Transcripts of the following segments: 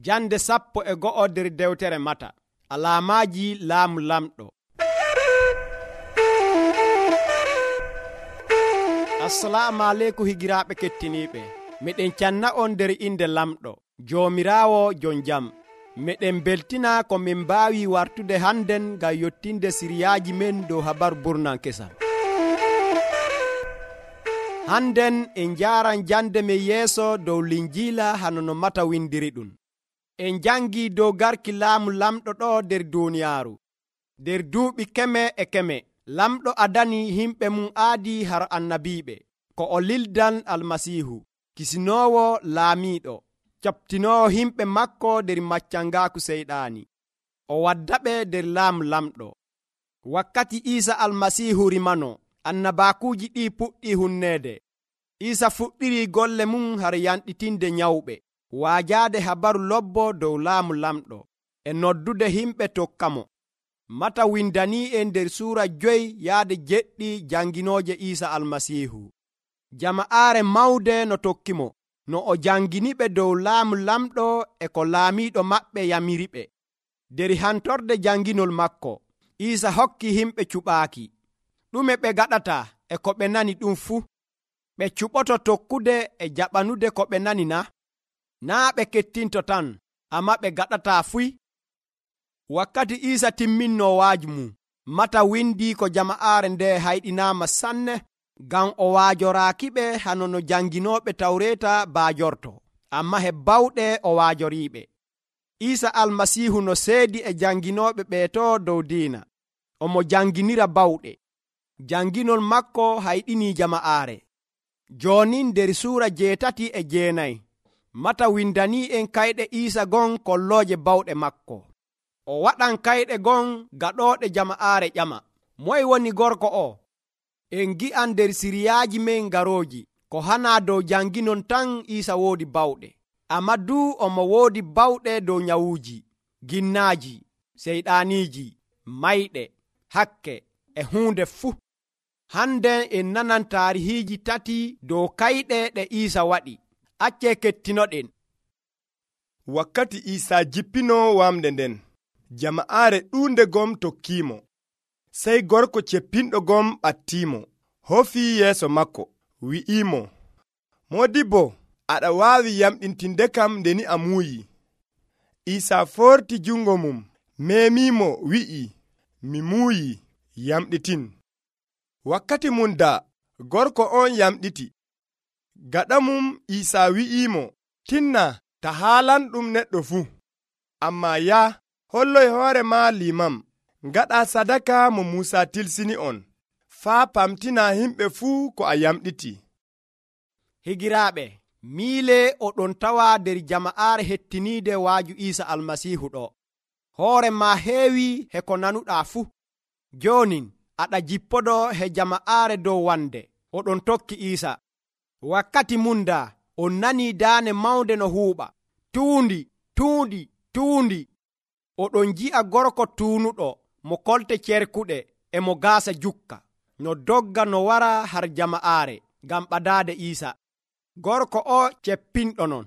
Jande 11 nder dewtere Mata. Alaamaji laamu lamɗo. Assalamu aleykum higiraaɓe kettiniiɓe. Meɗen canna on nder inde lamɗo Joomiraawo jon jam. Meɗen beltina ko min mbaawi wartude hannden ngam yottinde siriyaaji men dow habaru burnan kesam. Hannden en njaaran jande men yeeso dow linjiila hano no Mata windiri ɗum. En jangi dow garki laamu lamɗo ɗo nder duuniyaaru. Nder duuɓi keme e keme lamɗo adani himɓe mum aadi har annabiiɓe ko o lildan almasiihu kisinoowo laamiiɗo captinoowo himɓe makko nder maccangaaku seyɗaani. O waddaɓe nder laamu lamɗo. Wakkati Iisa almasiihu rimano annabaakuuji ɗi puɗɗi hunneede. Iisa fuɗɗiri golle mum har yanɗitinde nyawɓe, waajaade habaru lobbo dow laamu lamɗo e noddude himɓe tokkamo. Mata windanii en nder suura 5:7 janginooje Iisa almasiihu. Jama'aare mawde no tokkimo no o janginiɓe dow laamu lamɗo e ko laamiiɗo maɓɓe yamiriɓe. Nder hantorde janginol makko Iisa hokki himɓe cuɓaaki. Ɗume ɓe gaɗata e ko ɓe nani ɗum fuu? Ɓe cuɓoto tokkude e jaɓanude ko ɓe nani na? Naa ɓe kettinto tan, amma ɓe gaɗataa fuy. Wakkati Iisa timminno waaju mum, Mata windi ko jama'aare nde hayɗinaama sanne ngam o waajoraakiɓe hano no janginooɓe Tawreeta baajorto, amma he bawɗe o waajoriiɓe. Iisa almasiihu no seedi e janginooɓe ɓeeto dow diina, omo janginira bawɗe. Janginol makko hayɗinii jama'aare. Jooni nder suura 8-9 Mata windanii en kayɗe Iisa gon kollooje bawɗe makko. O waɗan kayɗe gon gaɗooɗe jama'aare ƴama. Moye woni gorko o? En gi'an nder siriyaaji men garooji ko hanaa dow janginon tan Iisa woodi bawɗe, amma duu omo woodi bawɗe dow nyawuuji, ginnaaji, seyɗaaniiji, mayɗe, hakke e huunde fuu. Hande en nanan taarihiiji 3 dow kayɗe ɗe Iisa waɗi. Accee kettinoɗen. Wakkati Iisa jippino wamde nden, jama'aare ɗuunde gom tokkiimo. Sey gorko ceppinɗo gom ɓattiimo, hofii yeeso makko, wi'iimo, Moodibbo, aɗa waawi yamɗintindekam ndeni a muuyi. Iisa forti jungo mum, meemiimo wi'i, mi muuyi, yamɗitin. Wakkati mum daa, gorko on yamɗiti. Gaɗa mum Iisa wi'iimo, tinna ta haalan ɗum neɗɗo fuu, amma yaa holloy hoore ma limam, ngaɗa sadaka mo Muusa tilsini on, faa pamtina himɓe fuu ko a yamɗiti. Higiraaɓe, miile oɗon tawa nder jama'aare hettiniide waaju Iisa almasiihu ɗo. Hoore ma heewi he ko nanuɗaa fuu. Joonin aɗa jippoɗo he jama'aare dow wande, oɗon tokki Iisa. Wakkati mum daa on nanii daane mawnde no huuɓa, tuundi. Oɗon ji'a gorko tuunuɗo mo kolte cerkuɗe e mo gaasa jukka, no dogga no wara har jama'aare ngam ɓadaade Iisa. Gorko o ceppinɗo non.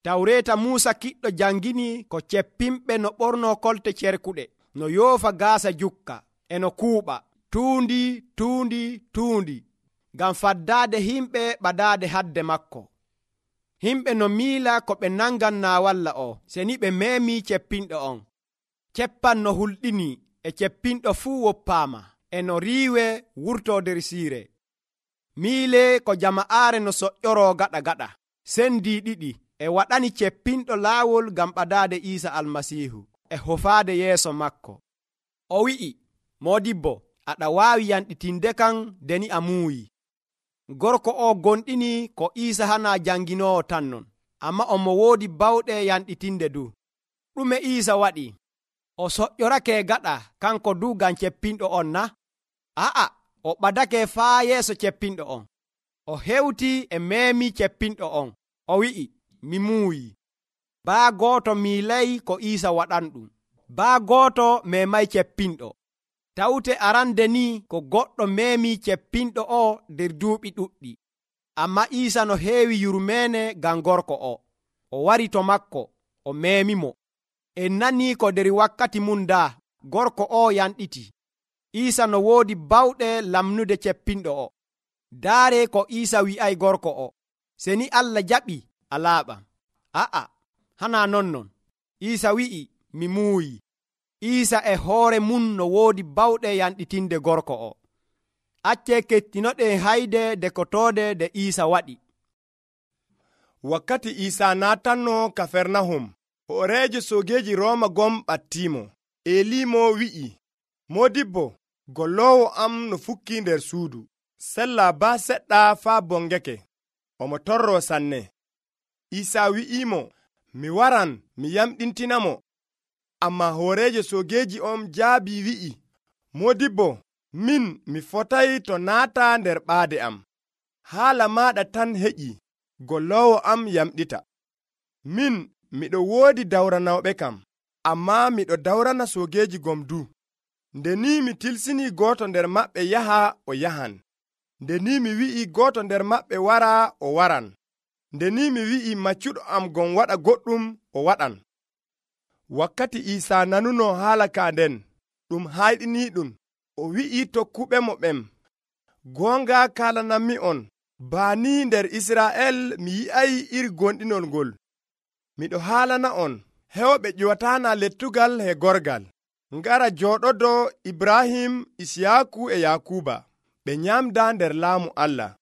Tawreeta Muusa kiɗɗo jangini ko ceppinɓe no ɓorno kolte cerkuɗe, no yoofa gaasa jukka e no kuuɓa, tuundi, ngam faddaade himɓe ɓadaade hadde makko. Himɓe no miila ko ɓe nangan naawalla o, seni ɓe meemi ceppinɗo on. Ceppan no hulɗini e ceppinɗo fuu woppaama, e no riiwe wurto nder siire. Miile ko jama'aare no soƴƴoroo gaɗa, sendi ɗiɗi e waɗani ceppinɗo laawol ngam ɓadaade Iisa almasiihu e hofaade yeeso makko. O wi'i, Moodibbo, aɗa waawi yanɗitindekam ndeni a muuyi. Gorko o gonɗini ko Iisa hanaa janginoowo tan non, amma omo woodi bawɗe yanɗitinde du. Ɗume Iisa waɗi? O soƴƴorake gaɗa kanko du ngam ceppinɗo on na? A'a, o ɓadake faa yeeso ceppinɗo on. O hewti e meemi ceppinɗo on. O wi'i, mi muuyi. Baa gooto miilay ko Iisa waɗanɗum. Baa gooto memay ceppinɗo. Tawte arande ni ko goɗɗo meemi ceppinɗo o nder duuɓi ɗuɗɗi. Amma Iisa no heewi yurmeene ngam gorko o. O wari to makko, o meemimo. En nanii ko nder wakkati mum daa gorko o yanɗiti. Iisa no woodi bawɗe lamnude ceppinɗo o. Daare ko Iisa wi'ay gorko o, seni Allah jaɓi a laaɓam. Hana non. Iisa wi'i, mi muuyi. Iisa e hoore mum no woodi bawɗe yanɗitinde gorko o. Acce kettinoɗen hayde dekotoode de Iisa waɗi. Wakkati Iisa naatanno Kafernahum, hooreejo soogeeji Rooma gom ɓattiimo. Eliimo wi'i, Moodibbo, golloowo am no fukki nder suudu. Sella baa seɗɗa faa bongeke. Omo torroo sanne. Iisa wi'iimo, mi waran mi yamɗintinamo. Ammaa hooreejo soogeeji on jaabii wi'i, Moodibbo, min mi fotay to naata nder ɓaade am. Haala maaɗa tan heƴi, golloowo am yamɗita. Min miɗo woodi dawranawɓe kam, ammaa miɗo dawrana soogeeji gom du. Nde ni mi tilsinii gooto nder maɓɓe yaha, o yahan. Nde ni mi wi'i gooto nder maɓɓe wara, o waran. Nde ni mi wi'i maccuɗo am gon waɗa goɗɗum, o waɗan. Wakkati Iisa nanuno haala ka nden, ɗum hayɗiniiɗum, o wi'i tokkuɓemo ɓen, goonga kaalanammi on, baani nder Israa'el mi yi'ay iri gonɗinol ngol. Miɗo haalana on, hewɓe ƴiwataana lettugal he gorgal. Ngara jooɗodo Ibrahim, Isiyaaku e Yakuba, ɓe nyamda nder laamu Allah.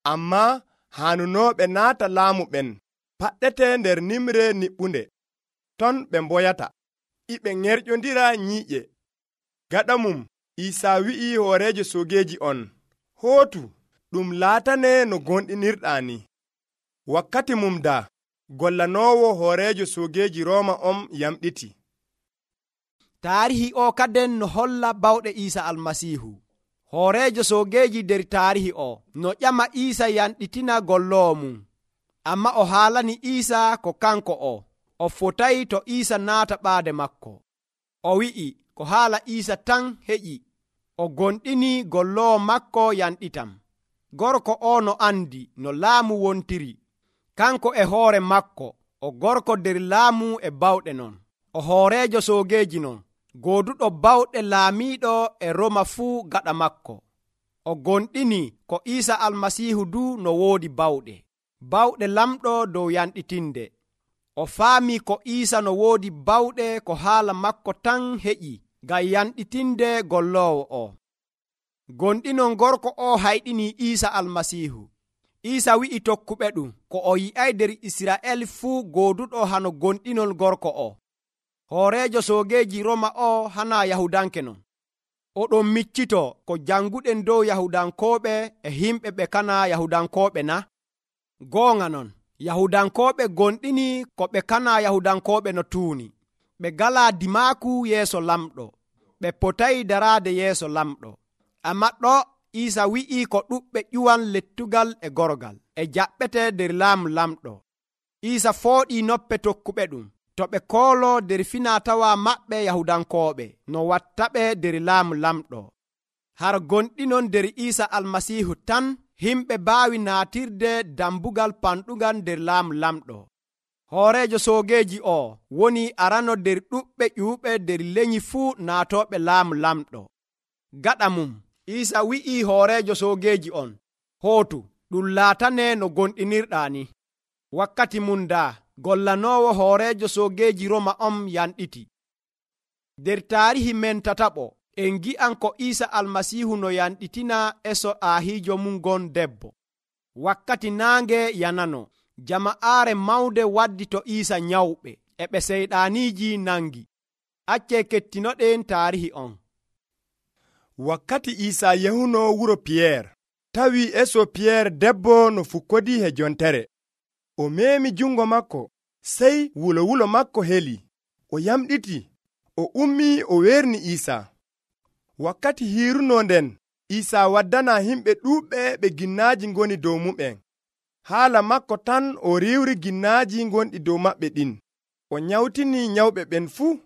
Ammaa haanunooɓe naata laamu ɓen, paɗɗete nder nimre niɓɓunde. Ton ɓe mboyata, iɓe ŋerƴondira nyiiƴe. Gaɗa mum, Iisa wi'i hooreejo soogeeji on, hootu, ɗum laatane no gonɗinirɗaa ni. Wakkati mum daa, gollanoowo hooreejo soogeeji Rooma on yamɗiti. Taarihi o kaden no holla bawɗe Iisa Almasiihu. Hooreejo soogeeji nder taarihi o no ƴama Iisa yanɗitina golloowo mum. Amma o haalani Iisa ko kanko o fotayi to Iisa naata ɓaade makko. O wi'i ko haala Iisa tan heƴi. O gonɗini golloowo makko yanɗitam. Gorko o no andi no laamu wontiri. Kanko e hoore makko o gorko nder laamu e bawɗe non. O hooreejo soogeeji non, gooduɗo bawɗe laamiiɗo e Roma fuu gaɗa makko. O gonɗini ko Iisa Almasiihu du no woodi bawɗe lamɗo dow yanɗitinde. O faami ko Iisa no woodi bawɗe ko haala makko tan heƴi ngam yanɗitinde golloowo o. Gonɗinon gorko o hayɗini Iisa Almasiihu. Iisa wi'i tokkuɓe ɗum ko o yi'ay nder Israa'el fuu gooduɗo hano gonɗinol gorko o. Hooreejo soogeeji Roma o hana Yahudanke non. Oɗon miccito ko janguɗen dow Yahudankooɓe e himɓe ɓe kana Yahudankooɓe na? Goonga non, Yahudankooɓe gonɗini ko ɓe kana Yahudankooɓe no tuuni. Ɓe galaa dimaaku yeeso lamɗo. Ɓe potayi daraade yeeso lamɗo. Amma ɗo Iisa wi'i ko ɗuɓɓe ƴuwan lettugal e gorgal e jaɓɓete nder laamu lamɗo. Iisa fooɗii noppe tokkuɓe ɗum to ɓe koolo nder finatawa maɓɓe Yahudankooɓe no wattaɓe nder laamu lamɗo. Har gonɗinon nder Iisa Almasiihu tan himɓe baawi naatirde dambugal panɗugal nder laamu lamɗo. Hooreejo soogeeji o woni arano nder ɗuɓɓe ƴuuɓe nder leñi fuu naatooɓe laamu lamɗo. Gaɗa mum, Iisa wi'i hooreejo soogeeji on, hootu, ɗum laatane no gonɗinirɗaa ni. Wakkati mum daa, gollanoowo hooreejo soogeeji Roma on yanɗiti. Nder taarihi men tataɓo, en gi'an ko Iisa Almasiihu no yanɗitina eso aahiijo mum gon debbo. Wakkati naange yanano, jama'aare mawnde waddi to Iisa nyawɓe, e ɓe seyɗaaniiji nangi. Acce kettinoɗen taarihi on. Wakkati Iisa yahuno wuro Piyeer, tawi eso Piyeer debbo no fukkodii he jontere. O meemi jungo makko, sey wulo makko heli. O yamɗiti, o ummi o werni Iisa. Wakkati hiiruno nden, Iisa waddana himɓe ɗuuɓɓe ɓe ginnaaji ngoni dow mumen. Haala makko tan o riwri ginnaaji gonɗi dow maɓɓe ɗin. O nyawtini nyawɓe ɓen fuu.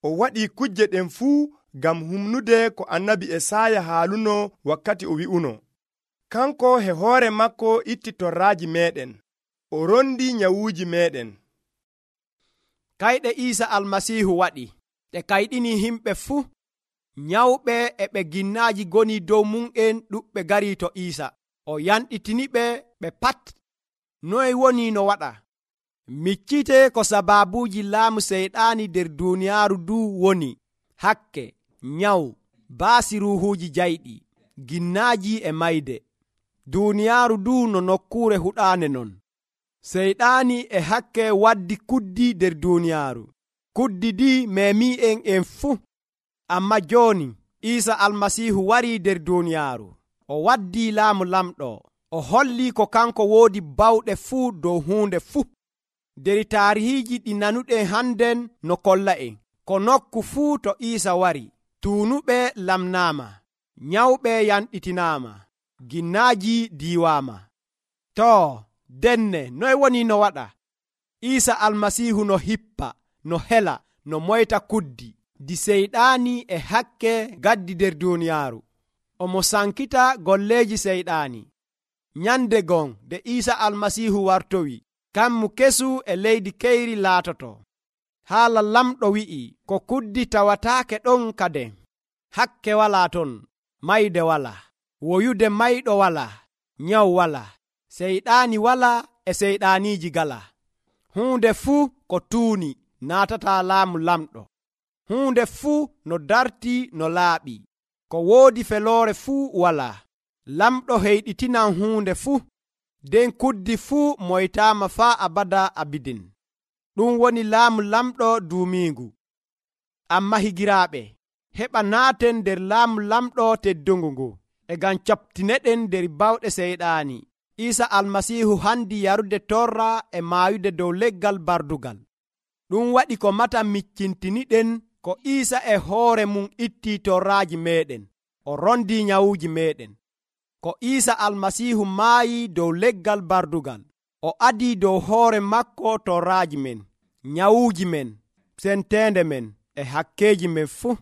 O waɗi kujje ɗen fuu ngam humnude ko annabi Esaya haaluno wakkati o wi'uno, kanko he hoore makko itti torraaji meɗen, o rondi nyawuuji meɗen. kayɗe Iisa almasiihu waɗi ɗe kayɗini himɓe fuu. Nyawɓe e ɓe ginnaaji goni dow mum'en ɗuɓɓe garii to Iisa. O yanɗitiniɓe ɓe pat. Noye woni no waɗa? Miccite ko sabaabuuji laamu seyɗaani nder duuniyaaru du woni: hakke, nyawu, baasi ruuhuuji jayɗi, ginnaaji e mayde. Duuniyaaru du no nokkuure huɗaane non. Seyɗaani e hakke waddi kuddi nder duuniyaaru. Kuddi ɗi memi'en fuu. Amma jooni Iisa almasiihu warii nder duuniyaaru. O waddii laamu lamɗo. O hollii ko kanko woodi bawɗe fuu dow huunde fuu. Nder taarihiiji ɗi nanuɗen hannden no kolla'en ko nokku fuu to Iisa wari, tuunuɓe lamnaama, nyawɓe yanɗitinaama, ginnaaji diiwaama. Too, denne noye woni no waɗa? Iisa almasiihu no hippa, no hela, no moyta kuddi di seyɗaani e hakke gaddi nder duuniyaaru. Omo sankita golleeji seyɗaani. Nyande gon de Iisa almasiihu wartowi, kammu kesu e leydi keyri laatoto. Haala lamɗo wi'i ko kuddi tawataake ɗon kaden. Hakke walaa ton, mayde walaa, woyude mayɗo walaa, nyawu walaa, seyɗaani walaa e seyɗaaniiji galaa. Huunde fuu ko tuuni naatataa laamu lamɗo. Huunde fuu no dartii no laaɓi. Ko woodi feloore fuu walaa. Lamɗo heyɗitinan huunde fuu. Den kuddi fuu moytaama faa abada abidin. Ɗum woni laamu lamɗo duumiingu. Amma higiraaɓe, heɓa naaten nder laamu lamɗo teddungu ngu, e ngam captineɗen nder bawɗe seyɗaani. Iisa almasiihu handi yarude torra e maayude dow leggal bardugal. Ɗum waɗi ko mata miccintiniɗen ko Iisa e hoore mum ittii torraaji meeɗen, o rondii nyawuuji meeɗen. Ko Iisa almasiihu maayii dow leggal bardugal, o adii dow hoore makko torraaji men, nyawuuji men, senteende men e hakkeeji men fuu.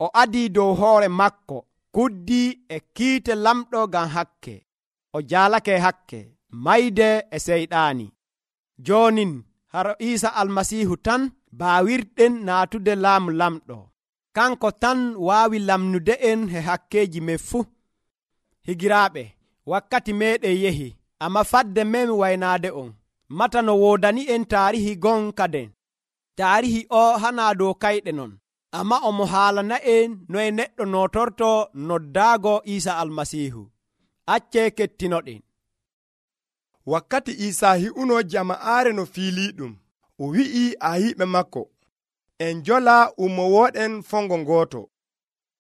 O adii dow hoore makko kuddi e kiite lamɗo ngam hakke. O jaalake hakke, mayde e seyɗaani. Joonin haro Iisa almasiihu tan baawirɗen naatude laamu lamɗo. Kanko tan waawi lamnude'en e hakkeeji men fuu. Higiraaɓe, wakkati meeɗen yehi, amma fadde men waynaade on. Mata no woodani'en taarihi gon kaden. Taarihi o hanaa dow kayɗe non, amma omo haalana'en noye neɗɗo nootorto noddaago Iisa almasiihu. Acce kettinoɗen. Wakkati Iisa hi'uno jama'aare no fiiliiɗum, o wi'i ahiiɓe makko, en jola ummowooɗen fongo gooto.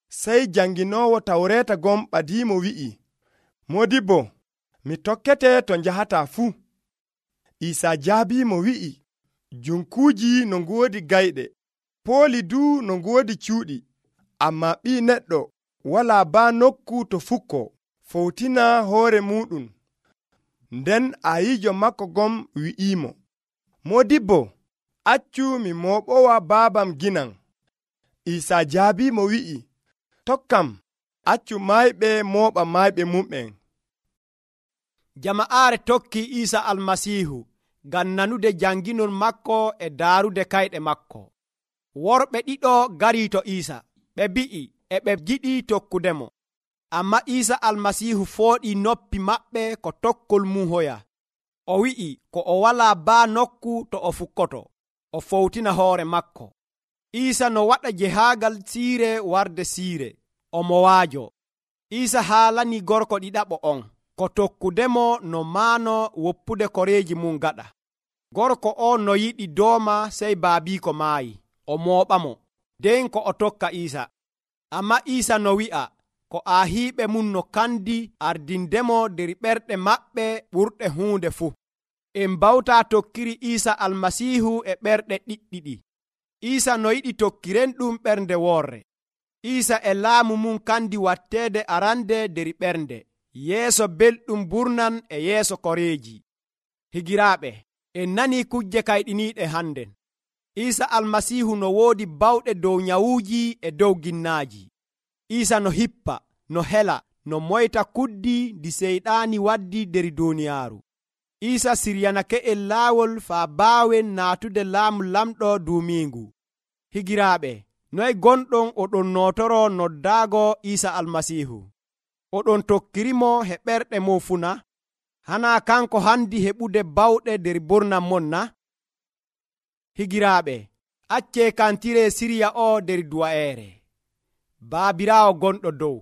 Sey janginoowo Tawreeta gon ɓadiimo wi'i, Modibbo, mi tokkete to njahataa fuu. Iisa jaabiimo wi'i, junkuuji no ngoodi gayɗe, pooli du no ngoodi cuuɗi, amma Ɓii Neɗɗo walaa baa nokku to fukkoo, fowtina hoore muɗum. Nden ayiijo makko gon wi'iimo, Modibbo, accu mi mooɓowa baabam ginan. Iisa jaabiimo wi'i, tokkam, accu mayɓe mooɓa mayɓe mum'en. Jama'aare tokki Iisa almasiihu ngam nanude janginol makko e daarude kayɗe makko. Worɓe ɗiɗo garii to Iisa, ɓe bi'i e ɓe jiɗi tokkudemo. Amma Iisa almasiihu fooɗii noppi maɓɓe ko tokkol mum hoya. O wi'i ko o walaa baa nokku to o fukkoto, o fowtina hoore makko. Iisa no waɗa jehaagal siire warde siire, omo waajo. Iisa haalani gorko ɗiɗaɓo on ko tokkudemo no maano woppude koreeji mum gaɗa. Gorko o no yiɗi dooma sey baabiiko maayi, o mooɓamo, nden ko o tokka Iisa. Amma Iisa no wi'a ko ahiiɓe mum no kandi ardindemo nder ɓerɗe maɓɓe ɓurɗe huunde fuu. En bawtaa tokkiri Iisa almasiihu e ɓerɗe ɗiɗɗiɗi. Iisa no yiɗi tokkiren ɗum ɓernde woorre. Iisa e laamu mum kandi watteede arande nder ɓernde, yeeso belɗum burnan e yeeso koreeji. Higiraaɓe, en nanii kujje kayɗiniiɗe hannden. Iisa almasiihu no woodi bawɗe dow nyawuuji e dow ginnaaji. Iisa no hippa, no hela, no moyta kuddi ndi seyɗaani waddi nder duuniyaaru. Isa siryanake en laawol faa baawen naatude laamu lamɗo duumiingu. Higiraaɓe, noy gonɗon oɗon nootoro noddaago Isa Almasiihu? Oɗon tokkirimo he ɓerɗe mon fuu na? Hanaa kanko handi heɓude bawɗe nder ɓurnam mon na? Higiraaɓe, accee kantire siriya o nder duwa'eere. Baabiraawo gonɗo dow,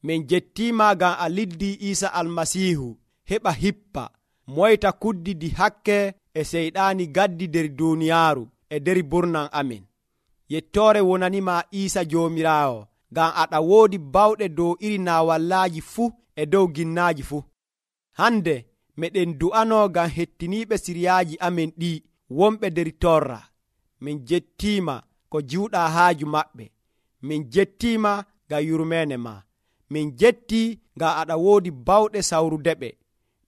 min jettiima ngam a liddi Isa Almasiihu heɓa hippa moyta kuddidi hakke e seyɗaani gaddi nder duuniyaaru e nder ɓurnam amin. Yettoore wonanima Isa Joomiraawo, ngam aɗa woodi bawɗe dow iri naawallaaji fuu e dow ginnaaji fuu. Hande meɗen du'ano ngam hettiniiɓe siryaaji amin ɗi wonɓe nder torra. Min jettiima ko jiwɗaa haaju maɓɓe. Min jettiima ngam yurmeene ma. Min jetti ngam aɗa woodi bawɗe sawrudeɓe.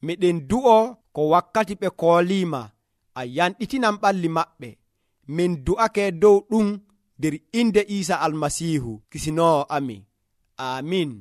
Miɗen du'o ko wakkati ɓe kooliima a yanɗitinan ɓalli maɓɓe. Min du'ake dow ɗum nder inde Isa Almasiihu Kisinoowo amin. Amin.